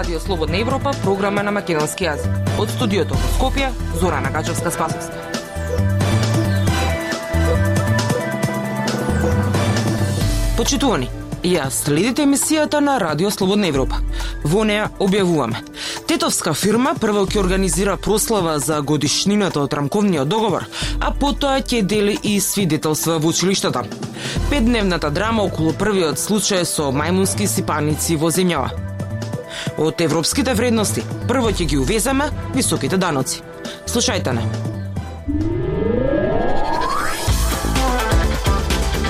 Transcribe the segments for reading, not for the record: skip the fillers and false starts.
Радио Слободна Европа, програма на македонски јазик. Од студиото во Скопје, Зорана Гачевска-Спасовска. Почитувани, ја следите емисијата на Радио Слободна Европа. Во неа објавуваме: тетовска фирма прво ќе организира прослава за годишнината од рамковниот договор, а потоа ќе дели и свидетелства во училиштата. 5-дневната драма околу првиот случај со мајмунски сипаници во земјава. Од европските вредности прво ќе ги увеземе високите даноци. Слушајте не.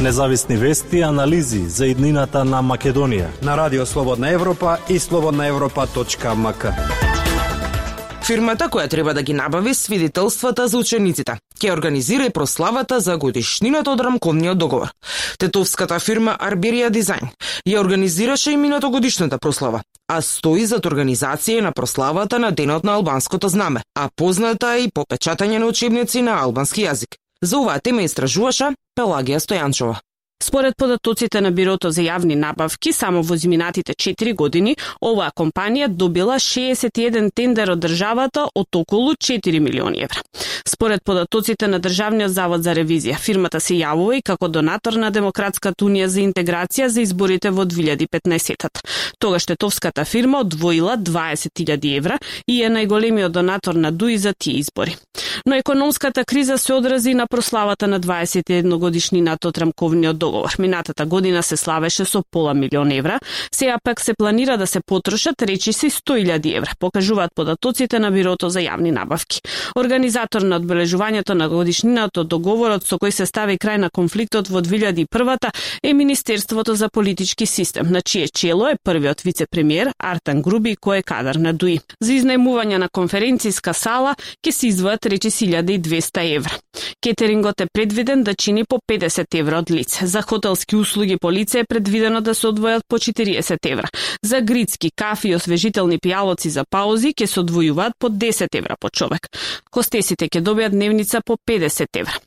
Независни вести и анализи за иднината на Македонија на Радио Слободна Европа и slobodnaevropa.mk. Фирмата која треба да ги набави свидетелствата за учениците ќе организира и прославата за годишнината од рамковниот договор. Тетовската фирма Арберија Дизајн ја организираше и минатогодишната прослава, а стои зад организација на прославата на Денот на албанското знаме, а позната и по печатање на учебници на албански јазик. За оваа тема истражуваше Пелагија Стојанчова. Според податоците на Бирото за јавни набавки, само во изминатите 4 години, оваа компанија добила 61 тендер од државата од околу 4 милиони евра. Според податоците на Државниот завод за ревизија, фирмата се јавува и како донатор на Демократската унија за интеграција за изборите во 2015-тата. Тогаш тетовската фирма одвоила 20.000 евра и е најголемиот донатор на ДУИ за тие избори. Но економската криза се одрази на прославата на 21 годишнината од рамковниот договор. Минатата година се славеше со пола милион евра, сега пак се планира да се потрошат речиси 100.000 евра, покажуваат податоците на Бирото за јавни набавки. Организатор на одбележувањето на годишнината од договорот со кој се стави крај на конфликтот во 2001-та е Министерството за политички систем, на чие чело е првиот вице-премиер Артан Груби, кој е кадар на ДУИ. За изнајмување на конференцијска сала ќе се издвојат речиси 1200 евра. Кетерингот е предвиден да чини по 50 евра од лице. За хотелски услуги по лице е предвидено да се одвојат по 40 евра. За грицки, кафи и освежителни пијалоци за паузи ќе се одвојуваат по 10 евра по човек. Хостесите ќе добијат дневница по 50 евра.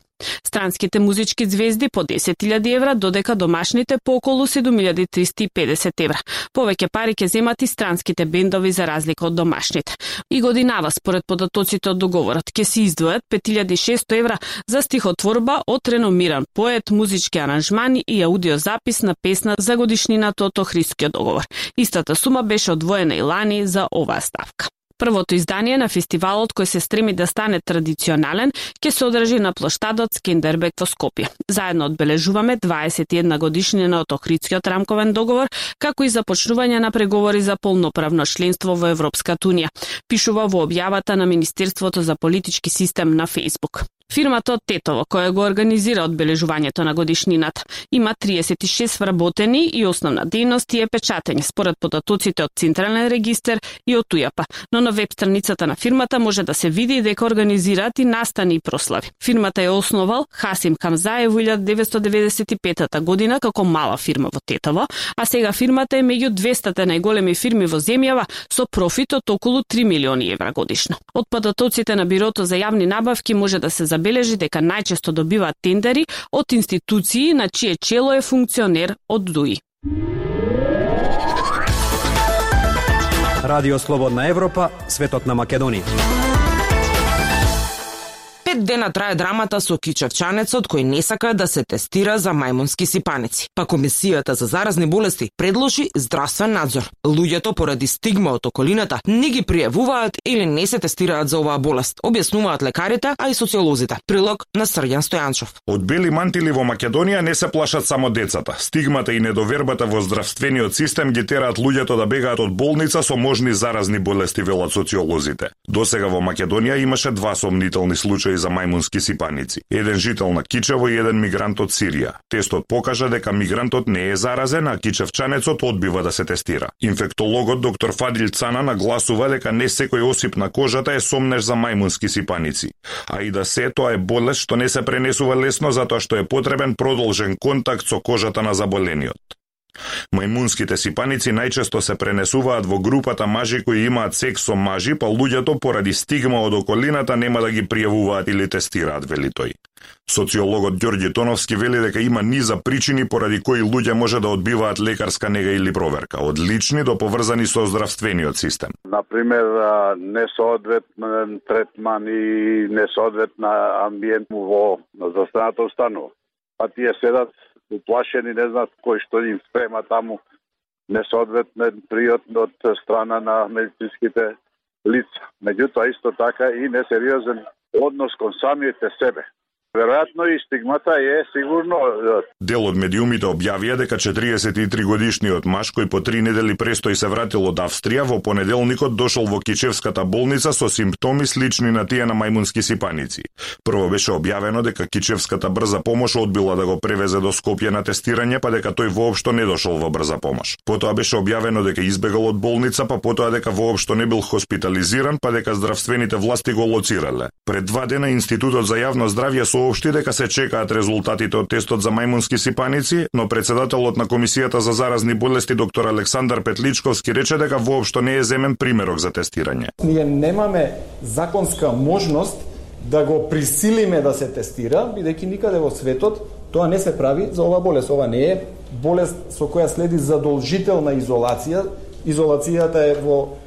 Странските музички звезди по 10.000 евра, додека домашните по околу 7.350 евра. Повеќе пари ќе земат и странските бендови за разлика од домашните. И годинава, според податоците од договорот, ќе се издвојат 5.600 евра за стихотворба од реномиран поет, музички аранжмани и аудиозапис на песна за годишнината од Охридскиот договор. Истата сума беше одвоена и лани за оваа ставка. Првото издание на фестивалот, кој се стреми да стане традиционален, ќе се одржи на плоштадот Скендербек во Скопје. Заедно одбележуваме 21 годишнина од Охридскиот рамковен договор, како и започнување на преговори за полноправно членство во Европската унија, пишува во објавата на Министерството за политички систем на Facebook. Фирмата од Тетово, која го организира одбележувањето на годишнината, има 36 вработени и основна дејност е печатење, според податоците од Централен регистер и од УЈАП. Но на веб страницата на фирмата може да се види дека организираат и настани и прослави. Фирмата ја основал Хасим Хамзаев во 1995 година како мала фирма во Тетово, а сега фирмата е меѓу 200 најголеми фирми во земјава со профит од околу 3 милиони евра годишно. Од податоците на Бирото за јавни набавки може да се забележи дека најчесто добиваат тендери од институции на чие чело е функционер од ДУИ. Радио Слободна Европа, светот на Македонија. 5 дена трае драмата со кичевчанецот кој не сака да се тестира за мајмунски сипаници. Па Комисијата за заразни болести предложи здравствен надзор. Луѓето поради стигма од околината не ги пријавуваат или не се тестираат за оваа болест, објаснуваат лекарите, а и социолозите. Прилог на Срѓан Стојанчов. Од бели мантили во Македонија не се плашат само децата. Стигмата и недовербата во здравствениот систем ги тераат луѓето да бегаат од болница со можни заразни болести, велат социолозите. Досега во Македонија имаше 2 сомнителни случаи за мајмунски сипаници. Еден жител на Кичево и еден мигрант од Сирија. Тестот покажа дека мигрантот не е заразен, а кичевчанецот одбива да се тестира. Инфектологот доктор Фадил Цана нагласува дека не секој осип на кожата е сомнеш за мајмунски сипаници, а и да се тоа е болест што не се пренесува лесно затоа што е потребен продолжен контакт со кожата на заболениот. Мајмунските сипаници најчесто се пренесуваат во групата мажи кои имаат секс со мажи, па луѓето поради стигма од околината нема да ги пријавуваат или тестираат, вели тој. Социологот Ѓорѓи Тоновски вели дека има низа причини поради кои луѓе може да одбиваат лекарска нега или проверка, од лични до поврзани со здравствениот систем. Например, несоодветен третман и несоодветна амбиент во здравствената установа. Па тие седат уплашени, не знаат кој што им спрема таму, несоодветен пријот од страна на медицинските лица. Меѓутоа, исто така и несериозен однос кон самите себе. Веројатно и стигмата е сигурно. Дел од медиумите објавија дека 43 годишниот маж кој по 3 недели престој се вратил од Австрија во понеделникот дошол во Кичевската болница со симптоми слични на тие на мајмунски сипаници. Прво беше објавено дека Кичевската брза помош одбила да го превезе до Скопје на тестирање, па дека тој воопшто не дошол во брза помош. Потоа беше објавено дека избегал од болница, па потоа дека воопшто не бил хоспитализиран, па дека здравствените власти го лоцирале. Пред 2 дена Институтот за јавно здравје соопшти дека се чекаат резултатите од тестот за мајмунски сипаници, но председателот на Комисијата за заразни болести доктор Александар Петличковски рече дека воопшто не е земен примерок за тестирање. Ние немаме законска можност да го присилиме да се тестира, бидејќи никаде во светот тоа не се прави за оваа болест. Ова не е болест со која следи задолжителна изолација. Изолацијата е во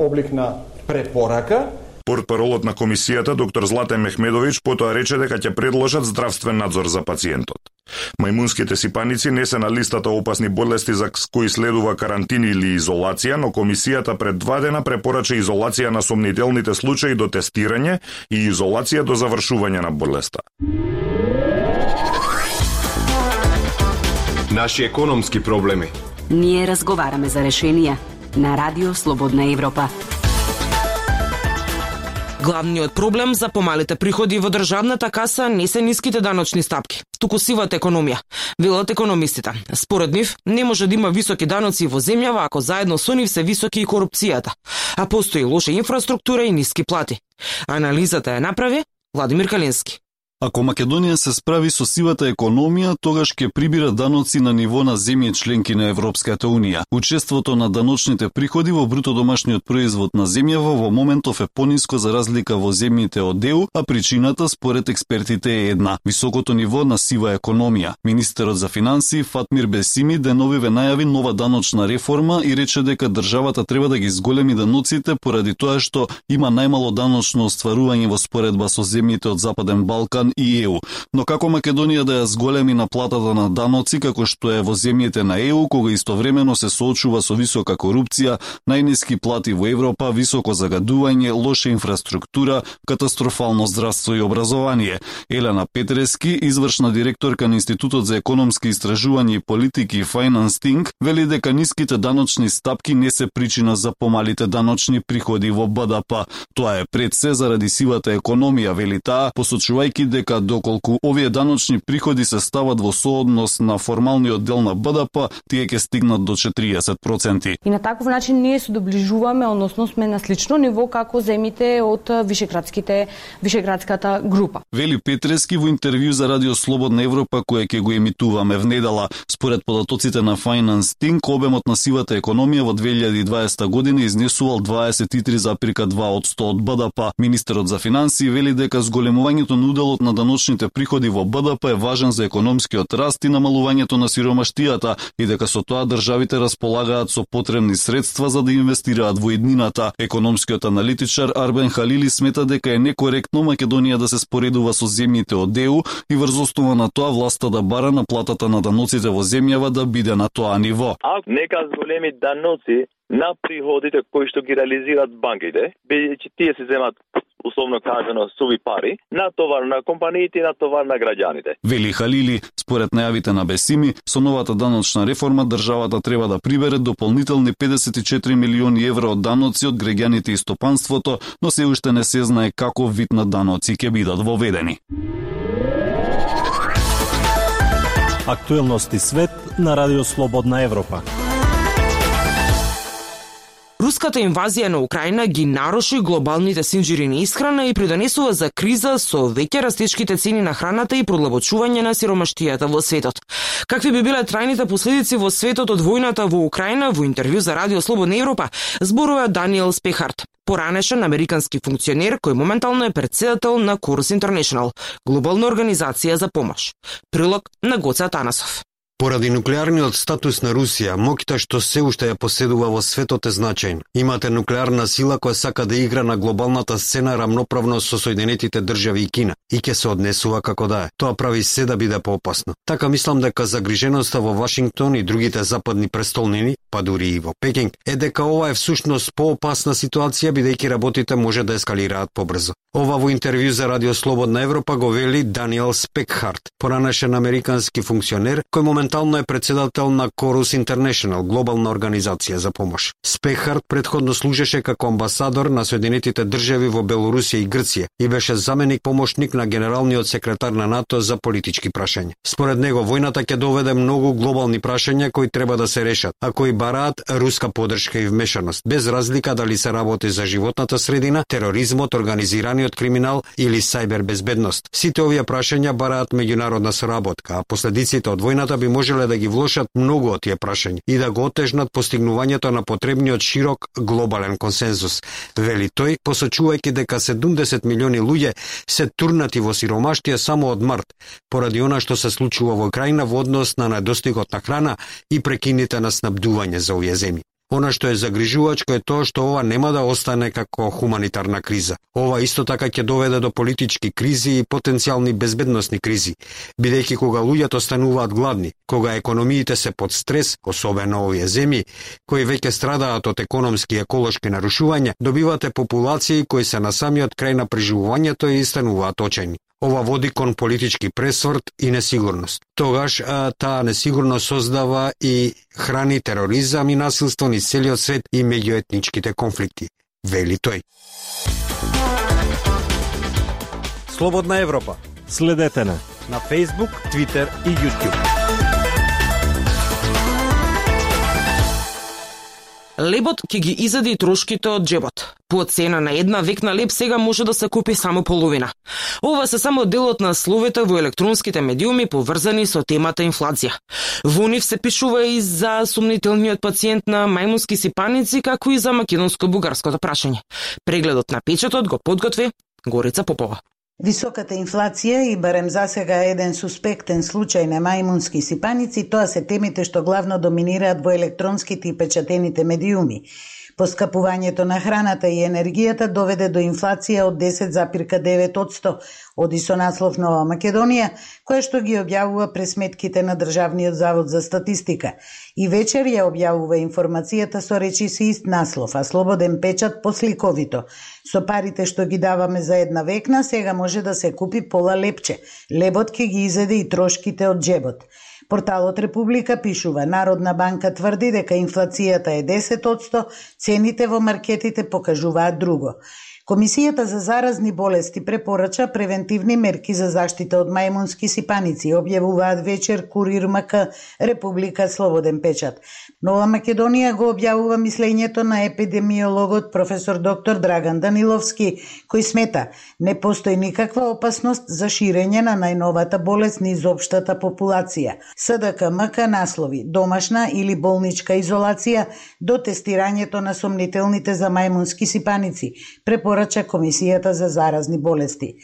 облик на препорака. Портпаролот на комисијата доктор Златен Мехмедович потоа рече дека ќе предложат здравствен надзор за пациентот. Мајмунските сипаници не се на листата опасни болести за кои следува карантин или изолација, но комисијата пред 2 дена препорача изолација на сомнителните случаи до тестирање и изолација до завршување на болеста. Наши економски проблеми. Ние разговараме за решенија на Радио Слободна Европа. Главниот проблем за помалите приходи во државната каса не се ниските даночни стапки, туку сивата економија, велат економистите. Според нив, не може да има високи даноци во земјава ако заедно со нив се високи и корупцијата, а постои лоша инфраструктура и ниски плати. Анализата ја направи Владимир Калински. Ако Македонија се справи со сивата економија, тогаш ќе прибира даноци на ниво на земји членки на Европската Унија. Учеството на даночните приходи во бруто домашниот производ на земјава во моментов е пониско за разлика во земјите од ЕУ, а причината според експертите е една – високото ниво на сива економија. Министерот за финансии Фатмир Бесими деновиве најави нова даночна реформа и рече дека државата треба да ги зголеми даноците поради тоа што има најмало даночно остварување во споредба со земјите од Западен Балкан и ЕУ. Но како Македонија да ја зголеми наплатата на даноци како што е во земјите на ЕУ, кога истовремено се соочува со висока корупција, најниски плати во Европа, високо загадување, лоша инфраструктура, катастрофално здравство и образование. Елена Петрески, извршна директорка на Институтот за економски истражувања и политики Finance Think, вели дека ниските даночни стапки не се причина за помалите даночни приходи во БДП. Тоа е пред се заради сивата економија, вели таа, посочувајќи дека доколку овие даночни приходи се стават во сооднос на формалниот дел на БДП, тие ќе стигнат до 40%. И на таков начин ние се доближуваме, односно сме на слично ниво како земјите од Вишеградската група. Вели Петрески во интервју за Радио Слободна Европа која ќе го емитуваме внедела. Според податоците на Finance Think, обемот на сивата економија во 2020 година изнесувал 23,2% од БДП. Министерот за финансии вели дека зголемувањето на уделот на даночните приходи во БДП е важен за економскиот раст и намалувањето на сиромаштијата и дека со тоа државите располагаат со потребни средства за да инвестираат во иднината. Економскиот аналитичар Арбен Халили смета дека е некоректно Македонија да се споредува со земјите од ЕУ и врз основа на тоа власта да бара наплатата на даноците во земјава да биде на тоа ниво. Ако нека зголеми даноци на приходите кои што ги реализираат банките, бидејќи тие се земат условно кажано суви пари, на товар на компаниите и на товар на граѓаните. Вели Халили, според најавите на Бесими, со новата даночна реформа државата треба да прибере дополнителни 54 милиони евро од даноци од граѓаните и стопанството, но се уште не се знае каков вид на даноци ќе бидат воведени. Актуелности свет на Радио Слободна Европа. Руската инвазија на Украина ги наруши глобалните синџири на исхрана и придонесува за криза со веќе растечките цени на храната и продлабочување на сиромаштијата во светот. Какви би биле трајните последици во светот од војната во Украина, во интервју за Радио Слободна Европа зборува Даниел Спехарт, поранешен американски функционер кој моментално е претседател на Chorus International, глобална организација за помош. Прилог на Гоце Атанасов. Поради нуклеарниот статус на Русија, моќта што се уште ја поседува во светот е значајна. Имате нуклеарна сила која сака да игра на глобалната сцена рамноправно со Соединетите држави и Кина и ќе се однесува како да е. Тоа прави се да биде поопасно. Така мислам дека загриженоста во Вашингтон и другите западни престолнини, па дури и во Пекинг, е дека ова е всушност поопасна ситуација бидејќи работите може да ескалираат побрзо. Ова во интервју за Радио Слободна Европа го вели Даниел Спекхарт, поранешен американски функционер кој моментално е председател на Chorus International, глобална организација за помош. Спекхарт предходно служеше како амбасадор на Соединетите држави во Белорусија и Грција и беше заменик помошник на генералниот секретар на НАТО за политички прашања. Според него, војната ќе доведе многу глобални прашања кои треба да се решат, а кои бараат руска поддршка и вмешаност, без разлика дали се работи за животната средина, тероризмот, организираниот криминал или сајбер безбедност. Сите овие прашања бараат меѓународна соработка, а последиците од војната би можеле да ги влошат многу од тие прашања и да го отежнат постигнувањето на потребниот широк глобален консензус. Вели тој, посочувајќи дека 70 милиони луѓе се турнати во сиромаштија само од март, поради она што се случува во Украина во однос на недостигот на храна и прекините на снабдување за овие земји. Она што е загрижувачко е тоа што ова нема да остане како хуманитарна криза. Ова исто така ќе доведе до политички кризи и потенцијални безбедносни кризи, бидејќи кога луѓето стануваат гладни, кога економиите се под стрес, особено овие земји, кои веќе страдаат од економски и еколошки нарушувања, добивате популации кои се на самиот крај на преживувањето и стануваат очајни. Ова води кон политички пресврт и несигурност. Тогаш таа несигурност создава и храни тероризам и насилство низ целиот свет и меѓуетничките конфликти, вели тој. Слободна Европа. Следете на Facebook, Twitter и YouTube. Лебот ќе ги изеде и трошките од джебот. По цена на една векна леб сега може да се купи само половина. Ова се само делот на словите во електронските медиуми поврзани со темата инфлација. Во нив се пишува и за сомнителниот пациент на мајмунски сипаници, како и за македонско-бугарското прашање. Прегледот на печатот го подготви Горица Попова. Високата инфлација и барем засега еден суспектен случај на мајмунски сипаници, тоа се темите што главно доминираат во електронските и печатените медиуми. Поскапувањето на храната и енергијата доведе до инфлација од 10,9%, оди со наслов Нова Македонија, која што ги објавува пресметките на Државниот завод за статистика. И вечер ја објавува информацијата со речиси ист наслов, а Слободен печат посликовито. Со парите што ги даваме за една векна, сега може да се купи пола лепче. Лебот ќе ги изеде и трошките од джебот. Порталот Република пишува, Народна банка тврди дека инфлацијата е 10%, цените во маркетите покажуваат друго. Комисијата за заразни болести препорача превентивни мерки за заштита од мајмунски сипаници, објавуваат вечер Курир МК, Република, Слободен печат. Нова Македонија го објавува мислењето на епидемиологот професор доктор Драган Даниловски, кој смета, не постои никаква опасност за ширење на најновата болест низ општата популација. СДК МК наслови домашна или болничка изолација до тестирањето на сомнителните за мајмунски сипаници, препорача Комисијата за заразни болести.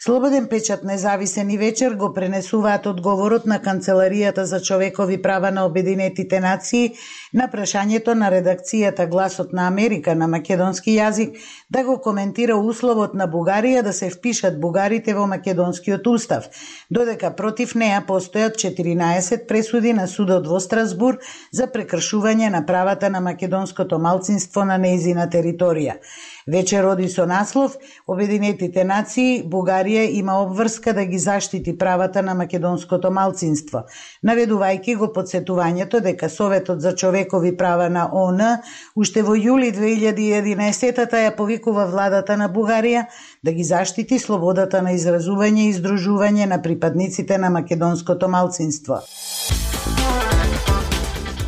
Слободен печат, Независен и вечер го пренесуваат одговорот на Канцеларијата за човекови права на Обединетите нации на прашањето на редакцијата Гласот на Америка на македонски јазик да го коментира условот на Бугарија да се впишат бугарите во македонскиот устав, додека против неа постојат 14 пресуди на судот во Страсбур за прекршување на правата на македонското малцинство на нејзина територија. Вечер оди со наслов Обединетите нации, Бугарија има обврска да ги заштити правата на македонското малцинство, наведувајќи го подсетувањето дека Советот за човекови права на ООН уште во јули 2011 ја повикува владата на Бугарија да ги заштити слободата на изразување и издружување на припадниците на македонското малцинство.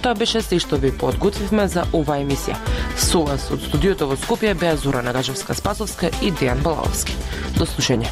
Тоа беше се што ви подготвивме за оваа емисија. Со вас од студиото во Скопје беа Зора Нагажевска-Спасовска и Дејан Балаовски. До слушање.